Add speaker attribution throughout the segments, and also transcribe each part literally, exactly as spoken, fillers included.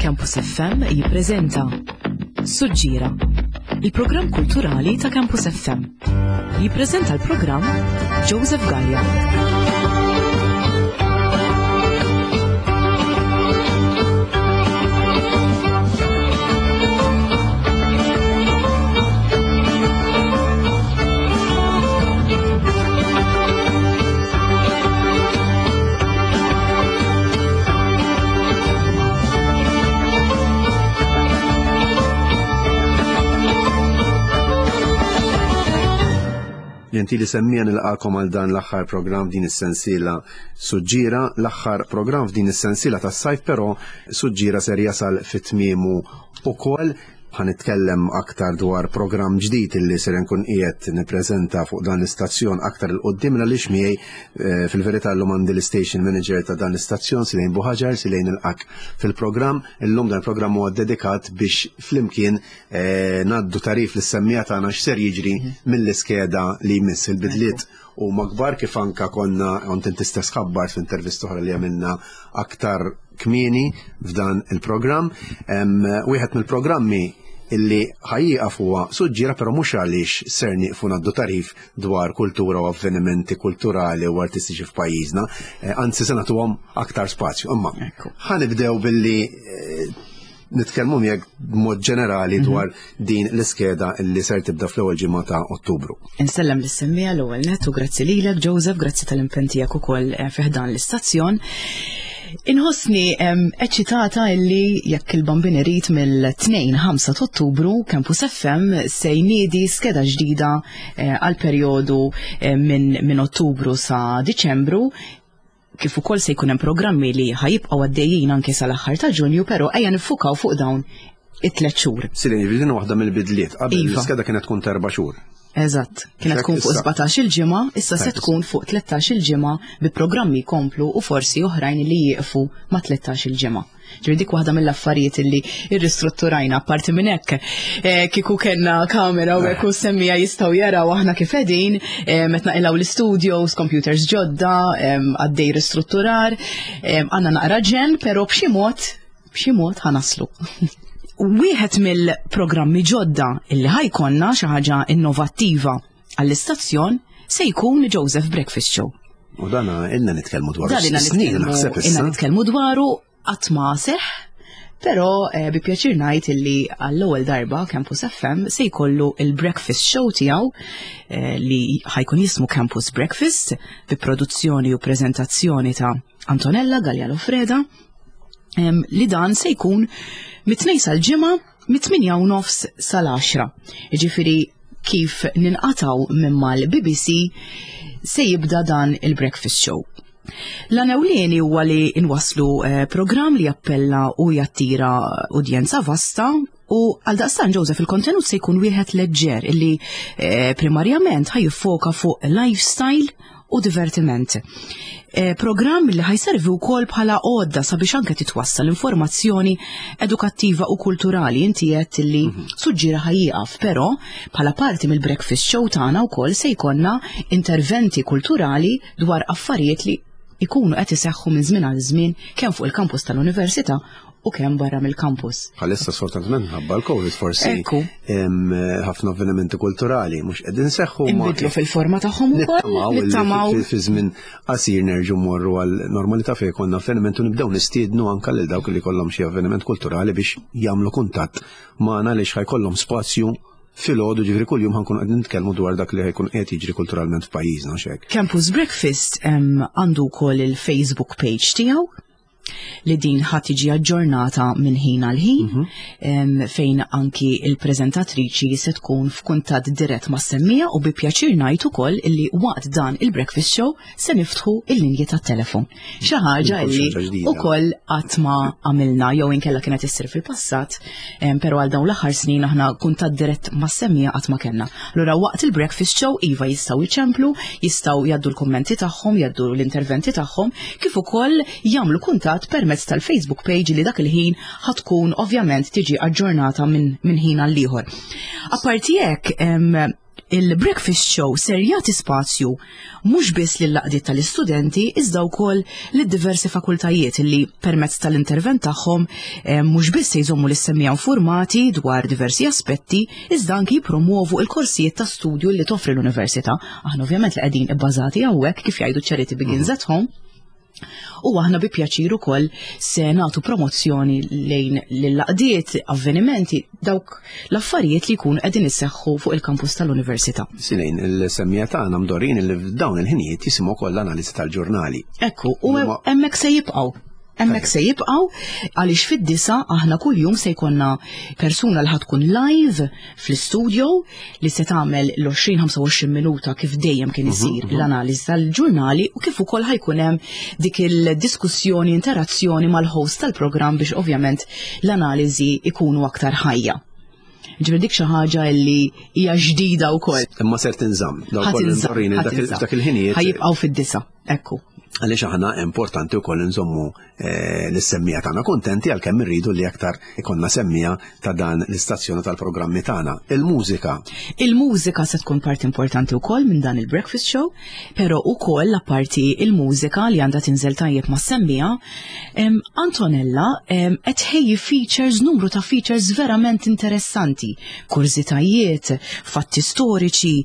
Speaker 1: Campus F M jippreżenta Suġġira, il-programm kulturali ta' Campus F M. Jippreżenta l-programm Joseph Gallia.
Speaker 2: Ġentili semmiegħa, nilqagħkom għal dan l-aħħar program din is-sensiela Suġġira, l-aħħar program f'din is-sensiela tas-sajf, però Suġġira ser jasal fit-tmiemu ukoll. Ħa nitkellem aktar dwar program ġdid illi ser nkun qiegħed nippreżenta fuq dan l-istazzjon aktar 'il quddiem, għaliex miegħi eh, fil-verità llum għandi l-station manager ta' dan l-istazzjon, Silejn Buħaġar. Silejn, nilqgħek fil-programm. Illum dan il-programm huwa dedikat biex flimkien eh, ngħaddu tagħrif lis-semmiegħa tagħna x'ser jiġri mill-iskeda li jmiss. Il-bidliet huma kbar, kif anka konna kont inti stess ħabbart f'intervista oħra li għamilna aktar kmieni f'dan il-programm. Wieħed mill-programmi illi ħa jieqaf huwa Suġġira, però mhux għaliex ser nieqfu ngħaddu tagħrif dwar kultura u avvenimenti kulturali u artistiċi f'pajjiżna, eh, anzi se nagħtuhom aktar spazju. Imma ħa nibdew billi eh, nitkellmu miegħek b'mod ġenerali mhm. dwar din l-iskeda illi ser tibda fl-ewwel ġimgħa ta' Ottubru.
Speaker 1: Insellem lis-semmiegħa l-ewwel net u grazzi lilek, Joseph, grazzi tal-impenn tiegħek ukoll eh, fi ħdan l-istazzjon. Inħossni eċitata illi jekk il-Bambin irid, mill-tnejn ħamsa ta' Ottubru Campus F M se jniedi skeda ġdida eh, għal perjodu eh, minn min Ottubru sa Diċembru, kif ukoll se jkun hemm programmi li ħa jibqgħu għaddejjin anke sal-aħħar ta' Ġunju, però ejja niffukaw fuq dawn it-tliet xhur.
Speaker 2: Sileni, din waħda mill-bidliet. Qabel
Speaker 1: Iva.
Speaker 2: l-iskeda kienet tkun ta' erba' xhur.
Speaker 1: Eżatt, kienet tkun fuq sbatax il-ġimgħa, issa se tkun fuq tlettax il-ġimgħa bi programmi jkomplu u forsi oħrajn li jieqfu ma' tlettax il-ġimgħa. Ġifieri dik waħda mill-affarijiet illi irristrutturajna. Apparti minn hekk, eh, kieku kellna kamera u hekk u semmiegħa jistgħu jaraw aħna kif qegħdin, eh, meta naqilgħu l-studios, computers ġodda, għaddej ristrutturar, għandna naqra ġen, però b'xi mod b'xi mod ħa naslu. Wieħed mill-programmi ġodda illi ħa jkollna, xi ħaġa innovattiva għall-istazzjon, se jkun Joseph Breakfast Show.
Speaker 2: U dana ilna nitkellmu dwaru.
Speaker 1: Dan ilna
Speaker 2: snin naħseb
Speaker 1: ilna
Speaker 2: issa.
Speaker 1: Nitkellmu dwaru, qatt ma seħ, però eh, bi pjaċir ngħid illi għall-ewwel darba Campus F M se jkollu il-breakfast show tiegħu eh, li ħa jkun jismu Campus Breakfast, bi produzzjoni u preżentazzjoni ta' Antonella Gallia Lofreda, em, li dan se jkun mit-tnejn sal-ġimgħa mit-tmienja u nofs sal-għaxra. Jiġifieri kif ninqataw minn mal-B B C se jibda dan il-breakfast show. L-għan ewlieni huwa li nwaslu eh, program li jappella u jattira udjenza vasta u għal daqstan, Joseph, il-kontenut se jkun wieħed leġġer illi eh, primarjament ħa jiffoka fuq lifestyle u divertiment. Eh, program li ħa jservi wkoll bħala għodda sabiex anke titwassal informazzjoni edukattiva u kulturali. Inti qed li Suġġira ħa jieqaf, però bħala parti mill-breakfast show tagħna wkoll se jkollna interventi kulturali dwar affarijiet li ikunu qed iseħħu minn żmien għal żmien kemm fuq il-kampus tal-università u kemm barra mill-kampus.
Speaker 2: Bħalissa sfortunatament ħabba l-Covid forsi
Speaker 1: Ekku.
Speaker 2: hemm ħafna avvenimenti kulturali mhux qegħdin seħħu ma
Speaker 1: Inbidlu fil-forma tagħhom ukoll.
Speaker 2: Nittamaw illi
Speaker 1: Nittamaw.
Speaker 2: fi- fi żmien qasir nerġgħu morru għal normalità fejn konna avveniment u nibdew nistiednu anke lil dawk li kollhom xi avveniment kulturali biex jagħmlu kuntatt magħna, għaliex ħa jkollhom spazju filgħodu, ġifieri kuljum ħa nkunu qegħdin nitkellmu dwar dak li ħa jkun qed jiġri kulturalment f'pajjiżna, xek.
Speaker 1: Campus Breakfast em, għandu wkoll il-Facebook page tiegħu li din ħa tiġi aġġornata minn ħin għal ħin, em, fejn anki il-preżentatriċi se tkun f'kuntatt dirett ma' semmiegħa, u bi pjaċir ngħid ukoll illi waqt dan il-breakfast show se niftħu il-linji tat-telefon. Xi ħaġa
Speaker 2: Ukoll
Speaker 1: illi
Speaker 2: xi ħaġa ġdida.
Speaker 1: Ukoll qatt ma għamilna jew inkella kienet issir fil-passat, em, però għal dawn l-aħħar snin aħna kuntatt dirett ma' semmiegħa qatt ma kellna. Allura waqt il-breakfast show iva jistgħu jċemplu, jistgħu jgħaddu l-kommenti tagħhom, jgħaddu l-interventi tagħhom, kif ukoll jagħmlu kuntatt permezz tal-Facebook page li dak il-ħin ħa tkun ovvjament tiġi aġġornata minn min ħin għal ieħor. Apparti hekk, em, Il-Breakfast Show ser jagħti spazju mhux biss lill-għaqdiet tal-istudenti iżda wkoll lid-diversi fakultajiet li permezz tal-intervent tagħhom eh, mhux biss se jżommu lis-semmiegħa informati dwar diversi aspetti iżda anki jippromuovu il-korsijiet ta' studju li toffri l-università. Aħna ovvjament li qegħdin ibbażati hawnhekk, kif jgħidu, "Charity begins at home". U aħna bi pjaċir ukoll se nagħtu promozzjoni lejn l-għaqdiet, avvenimenti, dawk l-affarijiet li jkunu qegħdin isseħħu fuq il-kampus tal-università.
Speaker 2: Silejn, il-semmiegħa tagħna mdorrijin li f'dawn il-ħinijiet jisimgħu koll l-analiżi tal-ġurnali.
Speaker 1: Ekku, u hemmhekk se jibqgħu. Hemmhekk se jibqgħu għaliex fid-disgħa aħna kuljum se jkollna persuna li ħa tkun live fl-studio li se tagħmel l-għoxrin ħamsa u għoxrin minuta kif dejjem kien mhm, isir mhm. l-analiżi tal-ġurnali u kif ukoll ħa jkun hemm dik il-diskussjoni, interazzjoni mal-host tal-programm biex ovvjament l-analiżi ikunu aktar ħajja. Ġifieri dik xi ħaġa li hija ġdida wkoll.
Speaker 2: Imma ser tinżamm. Dak il-ħinijiet.
Speaker 1: Ħa jibqgħu fid-disgħa, ekku.
Speaker 2: Għaliex aħna importanti wkoll nżommu eh, l-semmiegħa tagħna kontenti, għalkemm irridu li aktar ikollna semmiegħa ta' dan l-istazzjoni tal-programmi tagħna. Il-mużika.
Speaker 1: Il-mużika se tkun parti importanti wkoll minn dan il-breakfast show, però ukoll apparti il-mużika li għandha tinżel tajjeb ma' semmiegħa, Antonella qed tħejji features, numru ta' features verament interessanti, kurżitajiet, fatti storiċi,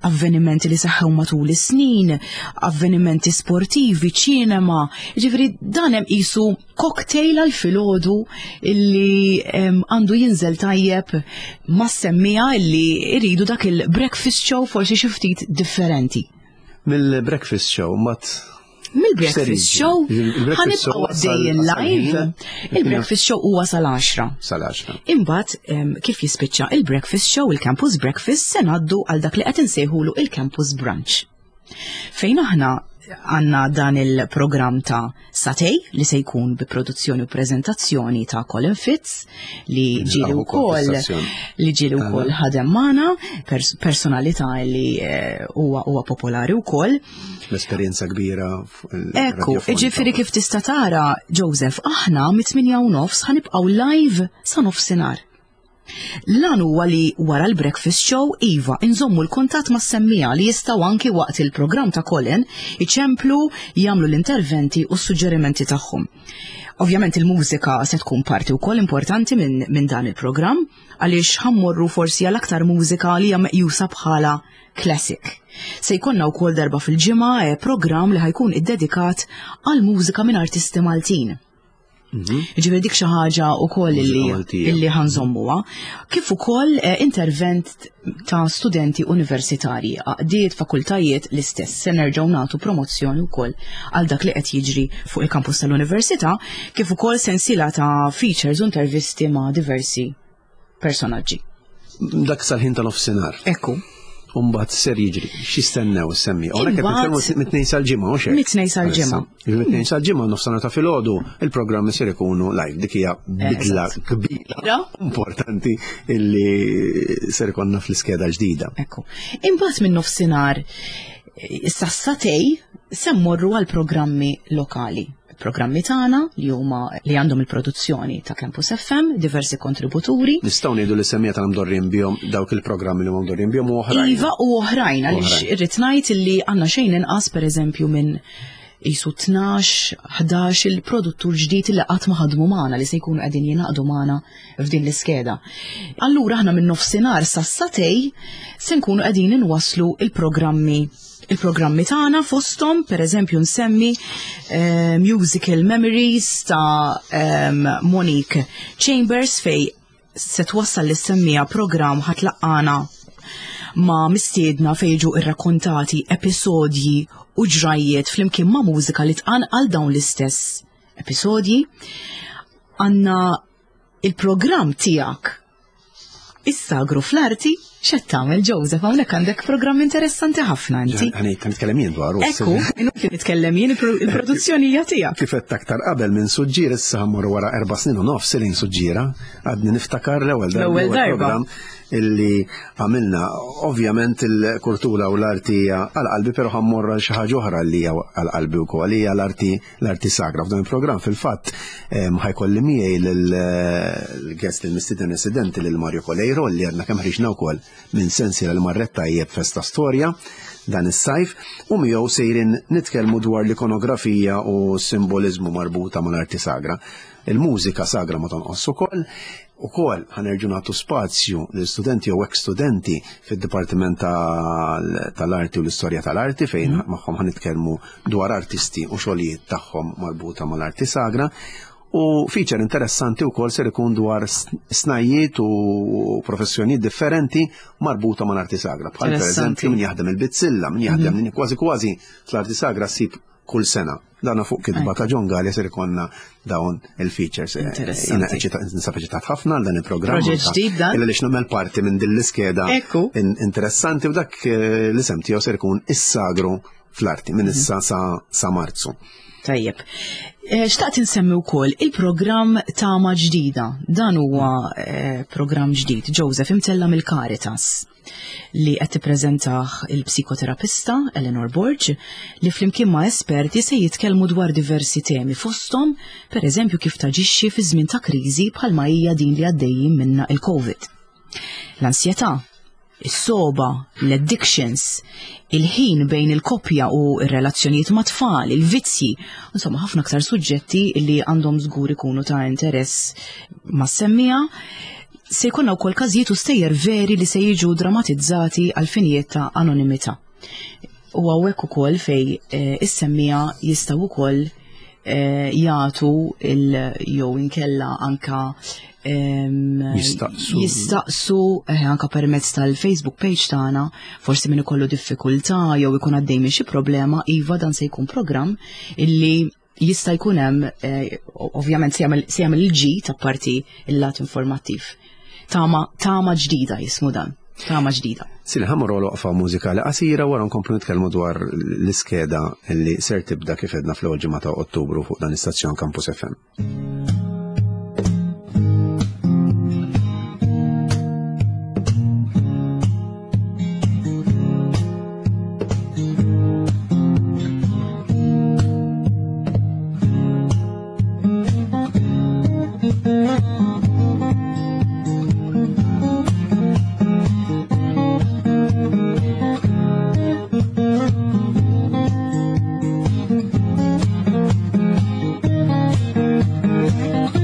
Speaker 1: avvenimenti li seħħew matul is-snin, avvenimenti sportivi, ċinema, ġifieri dan hemm qisu cocktail għal filgħodu illi għandu jinżel tajjeb ma' semmiegħa illi iridu dak il-breakfast show forsi xi ftit differenti.
Speaker 2: Mill-breakfast show mat
Speaker 1: Mill-breakfast show ħa nibqgħu għaddejjin live. Il-breakfast show huwa sal-għaxra.
Speaker 2: Sal-għaxra.
Speaker 1: Imbagħad kif jispiċċa il-breakfast show, il-campus breakfast, se ngħaddu għal dak li qed insejħulu il-campus brunch. Fejn aħna għandna dan il-programm ta' sagħtejn li se jkun bi produzzjoni u prezentazzjoni ta' Colin Fitz li ġieli wkoll li ġieli wkoll ħadem magħna, personalità li eh, huwa huwa popolari wkoll.
Speaker 2: L-esperjenza kbira.
Speaker 1: Ekku, ġifieri kif tista' tara, Joseph, aħna mit-tmienja u nofs ħa nibqgħu live sa nofsinhar. L-għan huwa li wara l-breakfast show, iva, inżommu l-kuntatt ma' semmiegħa li jistgħu anki waqt il-programm ta' Colin iċemplu, jagħmlu l-interventi u s-suġġerimenti tagħhom. Ovvjament il-mużika se tkun parti wkoll importanti minn min dan il-programm għaliex ħa mmorru forsi għal aktar mużika li hija meqjusa bħala classic. Se jkollna wkoll darba fil-ġimgħa eh, programm li ħa jkun iddedikat għal mużika minn artisti Maltin. Mhm. Ġifieri dik xi ħaġa wkoll illi ħa nżommuha. Kif ukoll eh, intervent ta' studenti universitarji, għaqdiet, fakultajiet l-istess. Se nerġgħu nagħtu promozzjoni wkoll għal dak li qed jiġri fuq il-kampus tal-università, kif ukoll sensiela ta' features u intervisti ma' diversi personaġġi.
Speaker 2: Dak sal-ħin tal-nofsinhar.
Speaker 1: Ekku.
Speaker 2: Umbagħad ser jiġri, x'jistennew is-semmiegħa? Hawnhekk qed nitkellmu mit-Tnejn sal-Ġimgħa, mhux hekk?
Speaker 1: Mit-Tnejn sal-Ġimgħa.
Speaker 2: Mit-Tnejn sal-Ġimgħa, nofsinhar ta' filgħodu, il-programmi ser ikunu live. Dik hija bidla kbira importanti illi ser ikollna fl-iskeda ġdida.
Speaker 1: Ekku. Imbagħad minn nofsinhar sas-sagħtejn se mmorru għal programmi lokali, programmi tagħna li huma li għandhom il-produzzjoni ta' Campus F M, diversi kontributuri.
Speaker 2: Nistgħu ngħidu li semmiegħa tagħna mdorrijin bihom dawk il-programmi li huma mdorrijin bihom u oħrajn.
Speaker 1: Iva, u oħrajn, għaliex irrid ngħid li għandna xejn inqas, pereżempju, minn qisu tnax, ħdax il-produttur ġdid li qatt ma ħadmu magħna li se jkunu qegħdin jingħaqdu magħna f'din l-iskeda. Allura aħna minn nofsinhar sas-sagħtejn se nkunu qegħdin inwasslu il-programmi il-programmi tagħna, fosthom pereżempju nsemmi uh, Musical Memories ta' um, Monique Chambers, fej se twassal lis-semmiegħa programm ħa tlaqqagħna ma' mistiedna fej jiġu irrakkontati episodji u ġrajiet flimkien ma' mużika li tqanqal dawn l-istess episodji. Għandna il-programm tiegħek, Is-Sagru fl-Arti. X'qed tagħmel, Joseph, hawnhekk għandek programm interessanti ħafna inti.
Speaker 2: Ħa nitkellem jien dwaru.
Speaker 1: Ekku, inutli nitkellem jien, il-produzzjoni hija tiegħek.
Speaker 2: Kif qed aktar qabel minn Suġġiera, issa ħa mmorru wara erba' snin u nofs lejn Suġġiera, għadni niftakar l-ewwel
Speaker 1: darba. L-ewwel darba
Speaker 2: illi għamilna. Ovvjament il-kultura u l-arti għal qalbi, però ħa mmorru għal xi ħaġa oħra li hija għal qalbi wkoll, hija l-arti l-arti sagra. F'dan il-programm fil-fatt ħa jkolli miegħi l-guest, il-mistieden residenti, lil Mario Coleiro, li għadna kemm ħriġna wkoll minn sensiela li marret tajjeb Festa Storja dan is-sajf, u miegħu sejrin nitkellmu dwar l-ikonografija u simbolizmu marbuta mal-arti sagra. Il-mużika sagra ma tonqos ukoll. Ukoll ħanerġu nagħtu spazju l-studenti u ex-studenti fid-Dipartiment tal-Arti u l-Istorja tal-Arti, fejn mm. magħhom ħanitkellmu dwar artisti u xogħlijiet tagħhom marbuta mal-arti sagra. U feature interessanti wkoll ser ikun dwar snajjiet u professjonijiet differenti marbuta mal-arti sagra. Bħal pereżempju min jaħdem il-bizzilla, min jaħdem mm. kważi kważi fl-arti sagra ssib kull sena. Dana fuq kitba ta' John Galea ser ikonna dawn il-features. Ninsab eċitat ħafna għal dan il-programm.
Speaker 1: Proġett ġdid dan.
Speaker 2: Illa li nagħmel parti minn din l-iskeda interessanti, u dak l-isem tiegħu ser ikun is-sagru fl-arti minn issa sa Marzu.
Speaker 1: Tajjeb. Xtaqt insemmi wkoll il-programm Tama Ġdida. Dan huwa programm ġdid, Joseph, imtella mill-Caritas, li qed tippreżentah il-psikoterapista Eleanor Borg, li flimkien ma' esperti se jitkellmu dwar diversi temi, fosthom pereżempju kif taġixxi fi żmien ta' kriżi bħalma hija din li għaddejjin minna il-COVID. L-ansjetà, is-soba, l-addictions, il-ħin bejn il-koppja u r-relazzjonijiet ma' tfal, il-vizzji, insomma ħafna aktar suġġetti li għandhom żgur ikunu ta' interess ma' semmija. Se jkollna wkoll każijiet u stejjer veri li se jiġu dramatizzati għal finijiet ta' anonimità. U hawnhekk ukoll fej is-semmija jistgħu wkoll jagħtu jew inkella anka
Speaker 2: jistaqsu
Speaker 1: jistaqsu anka permezz tal-Facebook page tagħna, forsi min ikollu diffikultà jew ikun għaddej minn xi problema, iva dan se jkun programm illi jista' jkun hemm, ovvjament se jagħmel il-ġid apparti il-lat informattiv. Tama, tama ġdida jismu dan. Tama ġdida.
Speaker 2: Sili ħamur waqfa mużikali qasira wara nkomplu nitkellmu dwar l-iskeda li ser tibda kif edna fl-ewwel ġimgħa ta' Ottubru fuq dan l-istazzjon Campus F M.
Speaker 3: Thank you.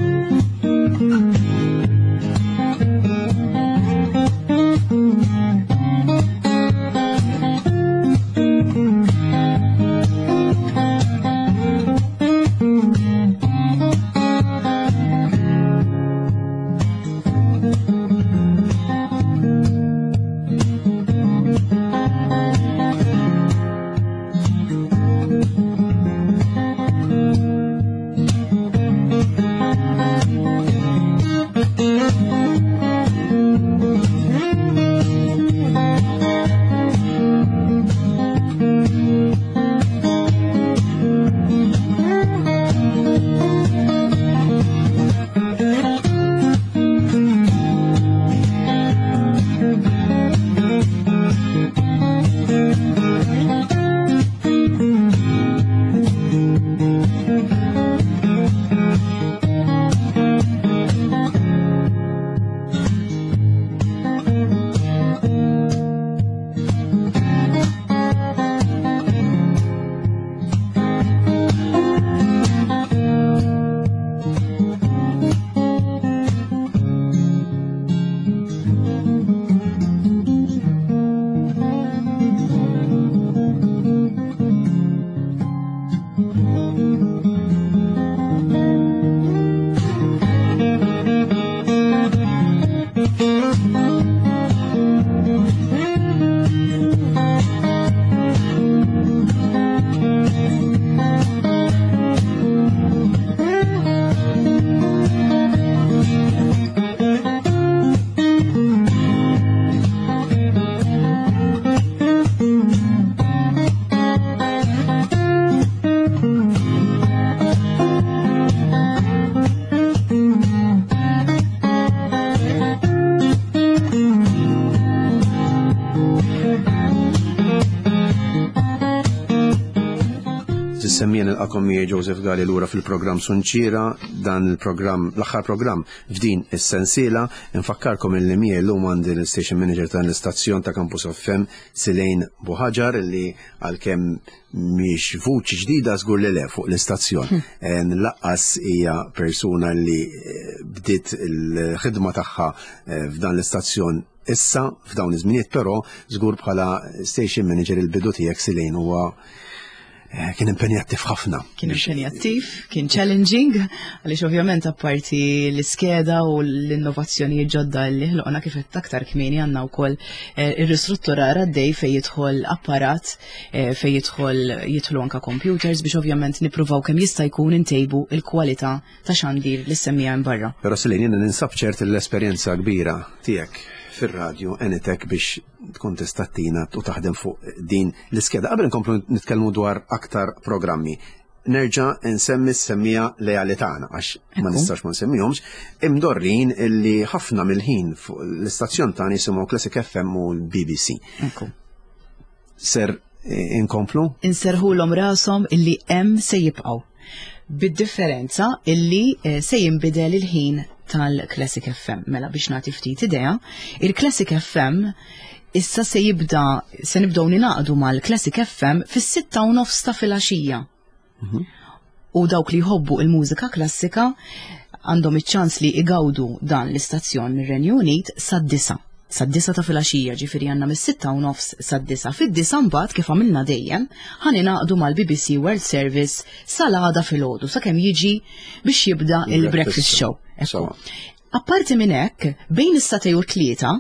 Speaker 2: Semmiegħa, nilqagħkom miegħi Joseph Gali lura fil-programm Sunċira, dan il-programm, l-aħħar programm f'din is-sensiela. Infakkarkom illi miegħi llum għandi l-station manager tal-istazzjon ta' Campus F M, Silejn Buħaġar, illi għalkemm mhix vuċi ġdida, żgur li le, fuq l-istazzjon. Eh, Lanqas hija persuna li eh, bdiet il-ħidma tagħha eh, f'dan l-istazzjon issa f'dawn iż-żminijiet, però żgur bħala station manager il-bidu tiegħek, Silejn, huwa eh, kien impenjattiv ħafna.
Speaker 1: Kien impenjattiv, kien challenging, għaliex ovvjament apparti l-iskeda u l-innovazzjoni ġodda li ħloqna, kif qed aktar kmieni, għandna wkoll eh, ir-ristrutturar għaddej fejn jidħol apparat, eh, fejn jidħol jidħlu anka computers biex ovvjament nippruvaw kemm jista' jkun intejbu il-kwalità ta' xandir li semmija barra.
Speaker 2: Però Silejn, jiena ninsab ċert l-esperjenza kbira tiegħek fir-radju għenitek biex tkun tista' ttina u taħdem fuq din l-iskeda. Qabel nkomplu nitkellmu dwar aktar programmi, nerġa' nsemmi s-semmiegħa leali tagħna, għax ma
Speaker 1: Ekku.
Speaker 2: nistax ma nsemmihomx, imdorrin illi ħafna mill-ħin fuq l-istazzjon tagħna jisimgħu Classic F M u l-B B C.
Speaker 1: Ekku.
Speaker 2: Ser eh, inkomplu?
Speaker 1: Inserħulhom rashom illi hemm se jibqgħu. Bid-differenza illi eh, se jinbidel il-ħin tal-Classic F M. Mela biex nagħti ftit idea, il-Classic F M issa se jibda se nibdew ninaqdu mal-Classic F M fis-sitta u nofs ta' filgħaxija. U dawk li jħobbu il-mużika klassika għandhom iċ-ċans li igawdu dan l-istazzjon mir-Renju Unit sad-disgħa. Sad-disgħa ta' filgħaxija, ġifieri għandna mis-sitta u nofs sad-disgħa. Fid-disgħa mbagħad, kif għamilna dejjem, ħa ningħaqdu mal-B B C World Service sal-għada filgħodu sakemm jiġi biex jibda il-breakfast show. Ekku.
Speaker 2: Sawa.
Speaker 1: Apparti minn hekk, bejn is-sagħtejn u tlieta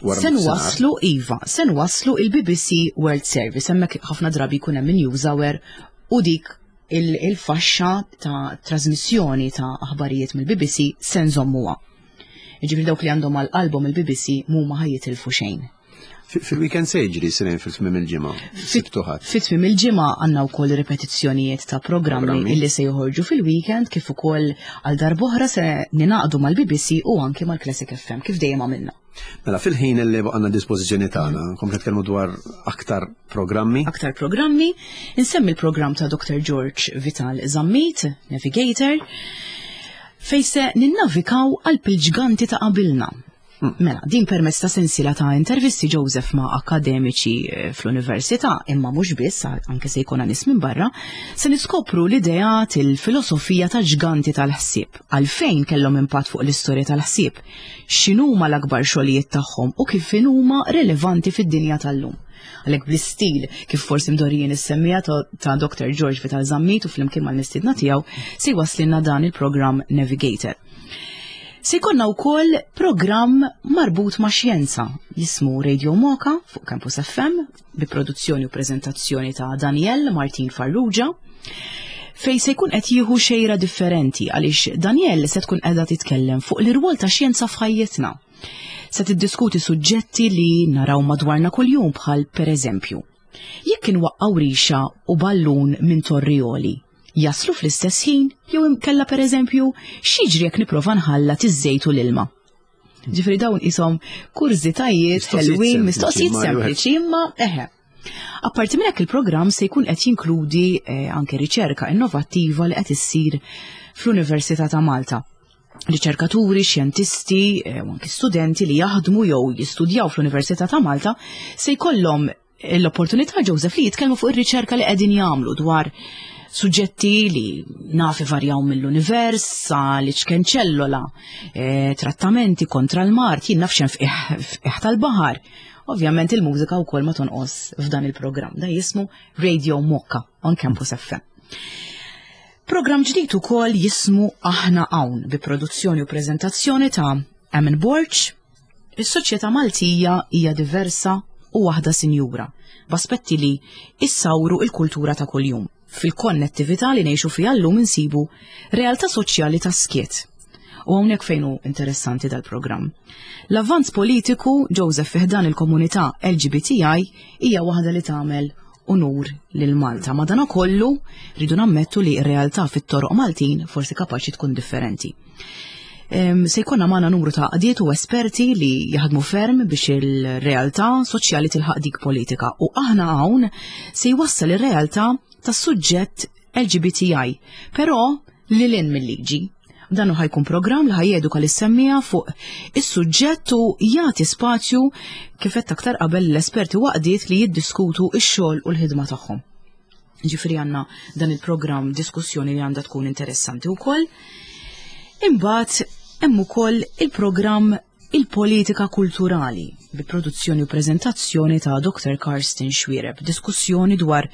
Speaker 2: Wara
Speaker 1: se
Speaker 2: nofsinhar.
Speaker 1: nwaslu, iva, se nwaslu il-B B C World Service, hemmhekk ħafna drabi jkun hemm news hour u dik il- il-faxxa ta' trasmissjoni ta' aħbarijiet mill-B B C se nżommuha. Ġifieri dawk li għandhom għal qalbhom il-B B C mhuma ħa jitilfu xejn.
Speaker 2: Fi- Fil-weekend se jiġri, Silejn, fil-tmiem il-ġimgħa? Sibt u Ħadd.
Speaker 1: Fi tmiem il-ġimgħa għandna wkoll ripetizzjonijiet ta' programmi
Speaker 2: Programmi.
Speaker 1: illi se joħorġu fil-weekend, kif ukoll għal darb'oħra se ninaqdu mal-B B C u anke mal-Classic F M kif dejjem għamilna.
Speaker 2: Mela fil-ħin li baqgħalna dispożizzjoni tagħna, komplet nitkellmu dwar aktar programmi.
Speaker 1: Aktar programmi, insemmi l-programm ta' Doctor George Vital Zammit, Navigator, fej se ninnavikaw għal il-ġganti ta' qabilna. Mela, din permezz ta' sensiela ta' intervisti, Joseph, ma' akademiċi eh, fl-università, imma mhux biss, anke se jkun nies minn barra, se niskopru l-ideat, il-filosofija ta' ġganti tal-ħsieb, għalfejn kellhom impatt fuq l-istorja tal-ħsieb, x'inhuma l-akbar xogħlijiet tagħhom u kif inhuma relevanti fid-dinja tal-lum. Għalhekk bl-istil kif forsi mdorrijin is-semmiegħa ta' ta' Doctor George Vital Zammit u flimkien mal-mistiedna tiegħu se jwasslilna dan il-programm Navigator. Se jkollna wkoll programm marbut ma' xjenza jismu Radio Moka fuq Campus F M bi produzzjoni u preżentazzjoni ta' Daniel Martin Farrugia, fej se jkun qed jieħu xejra differenti għaliex Daniel se tkun qiegħda titkellem fuq l-irwol ta' xjenza f'ħajjitna. Se tiddiskuti suġġetti li naraw madwarna kuljum, bħal pereżempju, jekk inwaqqaw rixa u ballun minn torri għoli, jaslu fl-istess ħin, jew inkella pereżempju x'jiġri jekk nipprova nħallat iż-żejt u l-ilma? Ġifieri dawn ishom kurżitajiet
Speaker 2: Mistoqsijiet
Speaker 1: ħelwin,
Speaker 2: sempliċi,
Speaker 1: mistoqsijiet
Speaker 2: ma wieħed-
Speaker 1: sempliċi, imma eħe. Apparti minn hekk, il-programm se jkun qed jinkludi eh, anke riċerka innovattiva li qed issir fl-Università ta' Malta. Riċerkaturi, xjentisti eh, u anke studenti li jaħdmu jew jistudjaw fl-Università ta' Malta se jkollhom l-opportunità, Joseph, li jitkellmu fuq ir-riċerka li qegħdin jagħmlu dwar suġġetti li naf varjaw mill-univers sa l-iċken ċellola, eh, trattamenti kontra l-mard, jien naf x'hemm f'qiegħ tal-baħar. Ovvjament il-mużika wkoll ma tonqos f'dan il-programm. Da jismu Radio Mokka on Campus F M. Programm ġdid ukoll jismu Aħna Hawn bi produzzjoni u preżentazzjoni ta' Amin Borg. Is-soċjetà Maltija hija diversa u waħda sinjura, b'aspetti li issawru il-kultura ta' kuljum. Fil-konnettività li ngħixu fiha llum insibu realtà soċjali ta' skiet. U hawnhekk fejn hu interessanti dal-programm. L-avvanz politiku, Joseph, fi ħdan il-komunità L G B T I hija waħda li tagħmel unur lil Malta. Madanakollu rridu nammettu li r-realtà fit-toroq Maltin forsi kapaċi tkun differenti. Em, Se jkollna magħna numru ta' għaqdiet u esperti li jaħdmu ferm biex il-realtà soċjali tilħaq dik politika, u Aħna Hawn se jwassal ir-realtà tas-suġġett L G B T I, però lil hinn mill-liġi. Dan ħa jkun programm li ħa jeduka lis-semmiegħa fuq is-suġġett u jagħti spazju, kif qed aktar qabel, l-esperti u għaqdiet li jiddiskutu x-xogħol u l-ħidma tagħhom. Ġifieri għandna dan il-programm diskussjoni li għandha tkun interessanti wkoll. Imbagħad hemm ukoll il-programm Il-Politika Kulturali bi produzzjoni u prezentazzjoni ta' Doktor Karsten Xuereb, diskussjoni dwar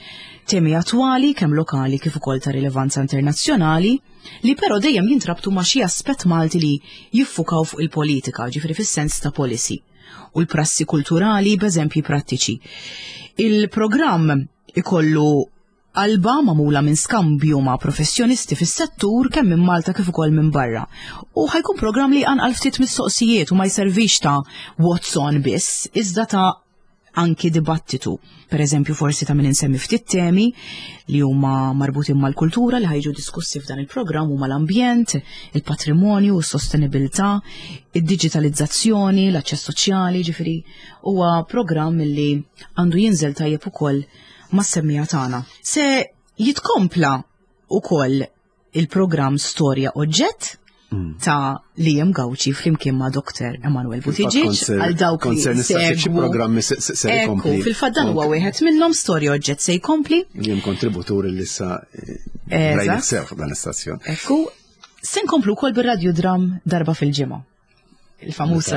Speaker 1: temi attwali kemm lokali kif ukoll ta' rilevanza internazzjonali li però dejjem jintrabtu ma' xi aspett Malti li jiffukaw fuq il-politika, ġifieri fis-sens ta' policy u l-prassi kulturali b'eżempji prattiċi. Il-programm ikollu qalba magħmula minn skambju ma' professjonisti fis-settur kemm minn Malta kif ukoll minn barra. U ħa jkun programm li għal ftit mistoqsijiet u ma jservix ta' what's on biss, iżda ta' anki dibattitu. Per eżempju, forsi ta' min insemmi ftit temi li huma marbutin mal-kultura li ħa jiġu diskussi f'dan il-programm huma l-ambjent, il-patrimonju, s-sostenibilità, id-digitalizzazzjoni, l-aċċess soċjali, ġifieri huwa programm li għandu jinżel tajjeb ukoll mas-semmiegħa tagħna. Se jitkompla ukoll il-programm Storja Oġġett mm. ta' Liam Gauci flimkien ma' Doktor Emanuel Buttigieg
Speaker 2: għal dawk li segwu. Programmi se
Speaker 1: jkompli. Fil-fatt dan huwa wieħed minnhom, Storja Oġġett se jkompli.
Speaker 2: Liam kontributur li issa eh, sew dan l-istazzjon.
Speaker 1: Ekku, se nkomplu wkoll bir-radiodram darba fil-ġimgħa, il-famuż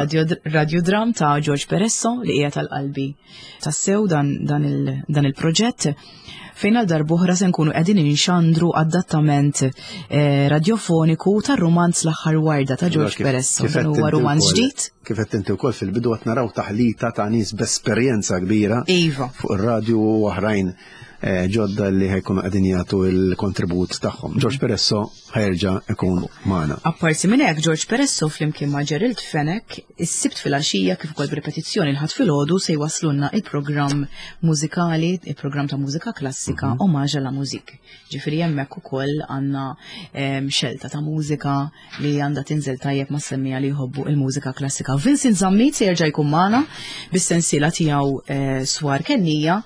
Speaker 1: radiodram ta' George Peresso li hija tal-qalbi tassew dan, dan, il, dan il-proġett fejn għal darb'oħra se nkunu qegħdin inxandru adattament eh, radiofoniku tar-romanz L-Aħħar Warda ta' George Peresso. Dan huwa romanz ġdid.
Speaker 2: Kif qed inti wkoll fil-bidu, qed naraw taħlita ta' nies b'esperjenza kbira
Speaker 1: Iva.
Speaker 2: fuq ir-radju u oħrajn eh, ġodda li ħa jkunu qegħdin jagħtu il-kontribut tagħhom. George Peresso ħa jerġa' ikun magħna.
Speaker 1: Apparti minn hekk, George Peresso flimkien ma' Gerald Fenech is-Sibt filgħaxija kif ukoll b'ripetizzjoni l-Ħadd filgħodu se jwaslulna il-programm mużikali, il-programm ta' mużika klassika mm -hmm. Hommage à la Musique. Ġifieri hemmhekk ukoll għandna xelta ta' mużika li għandha tinżel tajjeb mas-semmiegħa li jħobbu il-mużika klassika. Vincent Zammit se jerġa' jkun magħna bis-sensiela tiegħu eh, Swar Kennija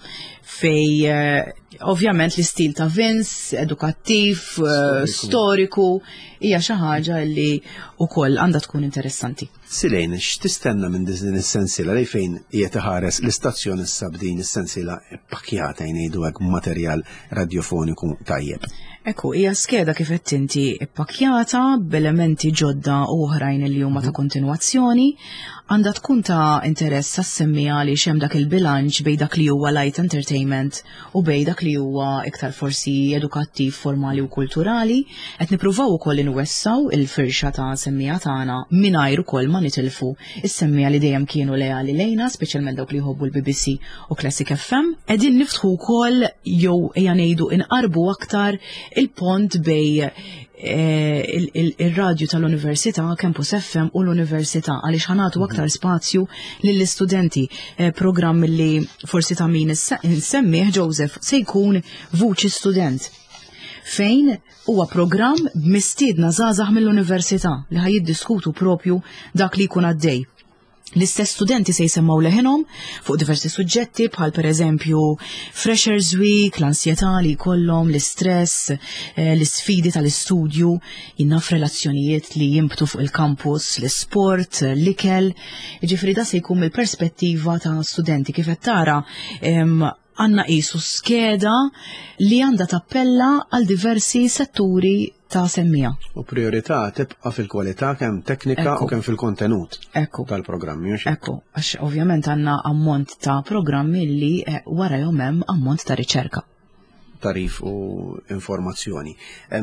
Speaker 1: fej eh, ovvjament l-istil ta' Vince, edukattiv, eh, storiku, hija xi ħaġa li wkoll għandha tkun interessanti.
Speaker 2: Silejn, x'tistenna minn din is-sensiela li fejn qiegħed iħares l-istazzjon issa b'din is-sensiela pakkjata, jgħidu hekk, materjal radiofoniku tajjeb?
Speaker 1: Ekku, hija skeda, kif qed inti, ippakkjata b'elementi ġodda u oħrajn li huma ta' kontinwazzjoni, għandha tkun ta' interess għas-semmiegħa li hemm dak il-bilanċ bejn dak li huwa light entertainment u bejn dak li huwa iktar forsi edukattiv, formali u kulturali. Qed nippruvaw ukoll inwessaw il-firxa ta' semmiegħa tagħna mingħajr ukoll ma nitilfu is-semmiegħa li dejjem kienu leali lejna, speċjalment dawk li jħobbu l-B B C u Classic F M. Qegħdin niftħu wkoll, jew ejja ngħidu inqarbu aktar il-pont bejn eh, il-radju tal-Università, Campus F M, u l-Università, għaliex ħa nagħtu aktar spazju lill-istudenti. Eh, programm li forsi ta' min insemmih, Joseph, se jkun Vuċi Student, fejn huwa programm b'mistiedna żgħażagħ mill-università li ħa jiddiskutu propju dak li jkun għaddej. L-istess studenti se jsemmaw leħinhom fuq diversi suġġetti bħal per eżempju Freshers Week, l-ansjetà li jkollhom, l-istress, eh, l-isfidi tal-istudju, jinnaf relazzjonijiet li jimbtu fuq il-campus, l-sport, l-ikel. Ġifieri da se jkun mill-perspettiva ta' studenti. Kif qed tara, għandna qisu skeda li għandha tappella għal diversi setturi ta' semmiegħa.
Speaker 2: U priorità tibqa' fil-kwalità kemm teknika u kemm fil-kontenut tal-programmi.
Speaker 1: Ekku, għax ovvjament għandna ammont ta' programmi li eh, wara hemm ammont ta' riċerka.
Speaker 2: Tagħrif u informazzjoni.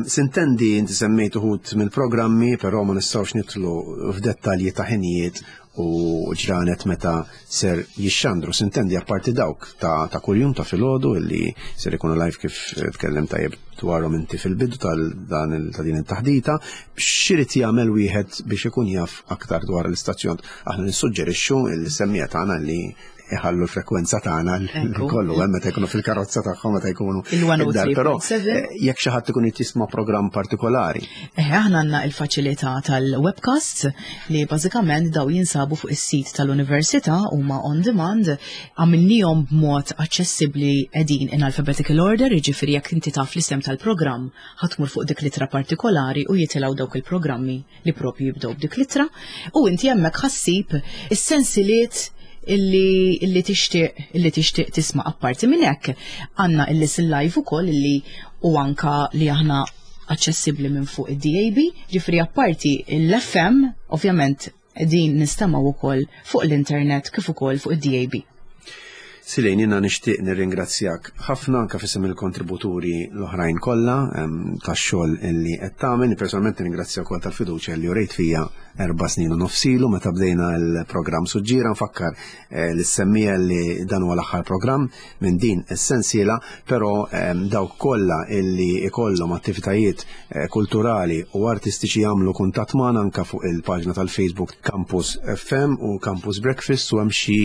Speaker 2: Sintendi, inti semmejt uħud mill-programmi, però ma nistgħux nidħlu f'dettalji ta' ħinijiet u ġranet meta ser jixxandru. Sintendi, apparti dawk ta', ta kuljum ta' filgħodu illi ser ikunu live, kif tkellem tajjeb dwarhom inti fil-bidu tal-dan ta' din it-taħdita, x'irid jagħmel wieħed biex ikun jaf aktar dwar l-istazzjon? Aħna nissuġġerixxu l-semmiegħa tagħna li iħallu l-frekwenza tagħna kollu hemm meta jkunu fil-karozza tagħhom, meta jkunu
Speaker 1: id-dar,
Speaker 2: però eh, jekk xi ħadd ikun jisma' programm partikolari.
Speaker 1: Eh, aħna għandna il-faċilità tal-webcast li bażikament daw jinsabu Jinsabu fuq is-sit tal-Università, huma on demand, għamilnihom b'mod aċċessibbli, qegħdin in alphabetical order, jiġifieri jekk inti taf l-isem tal-programm, ħa tmur fuq dik l-ittra partikolari u jitilgħu dawk il-programmi li propju jibdew b'dik l-ittra u inti hemmhekk ħa ssib is-sensiliet illi illi tixtieq illi tixtieq tisma'. Apparti minn hekk, għandna il-listen live ukoll illi u anka li aħna aċċessibbli minn fuq id-D A B, ġifieri apparti l-F M, ovvjament din nistemgħu ukoll fuq l-internet kif ukoll fuq id-D A B.
Speaker 2: Silejn, jiena nixtieq nirringrazzjak ħafna anka f'isem il-kontributuri l-oħrajn kollha tax-xogħol illi qed tagħmel. Personalment nirringrazzjak ukoll tal-fiduċja li urejt fija erba' snin u nofs ilu meta bdejna l-programm Suġġiera. Nfakkar eh, lis-semmiegħa li dan huwa l-aħħar programm minn din is-sensiela, però dawk kollha illi ikollhom attivitajiet eh, kulturali u artistiċi jagħmlu kuntatt magħna anka fuq il-paġna tal-Facebook Campus F M u Campus Breakfast u hemm xi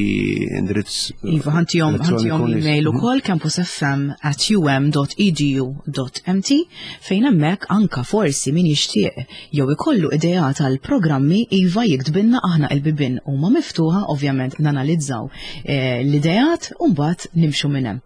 Speaker 2: indirizz
Speaker 1: Iva, ħa ntihom ħa ntihom email ukoll, campusfm at um dot edu dot M T, fejn hemmhekk anka forsi min jixtieq jew ikollu idea tal-programmi, iva, jiktbilna. Aħna il-bibien huma miftuħa, ovvjament nanalizzaw eh, l-ideat u mbagħad nimxu minn hemm.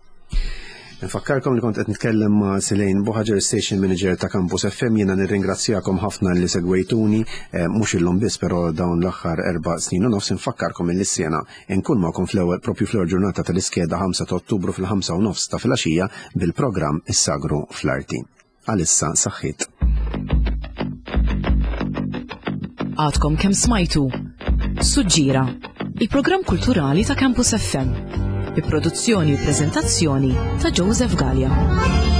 Speaker 2: Nfakkarkom li kont qed nitkellem ma' Silejn Buhagiar, Station Manager ta' Campus F M. Jiena nirringrazzjakom ħafna li segwejtuni, eh, mhux illum biss, però dawn l-aħħar erba' snin u nofs. Nfakkarkom il sena nkun magħkom fl-ewwel propju fl-ewwel ġurnata tal-iskeda, ħamsa ta' Ottubru, fil-ħamsa u nofs ta' filgħaxija bil-programm Is-Sagru fl-Arti. Għalissa saħħit.
Speaker 1: Għadkom kemm smajtu Suġġira, il-programm kulturali ta' Campus F M, bi produzzjoni u prezentazzjoni ta' Joseph Gallia.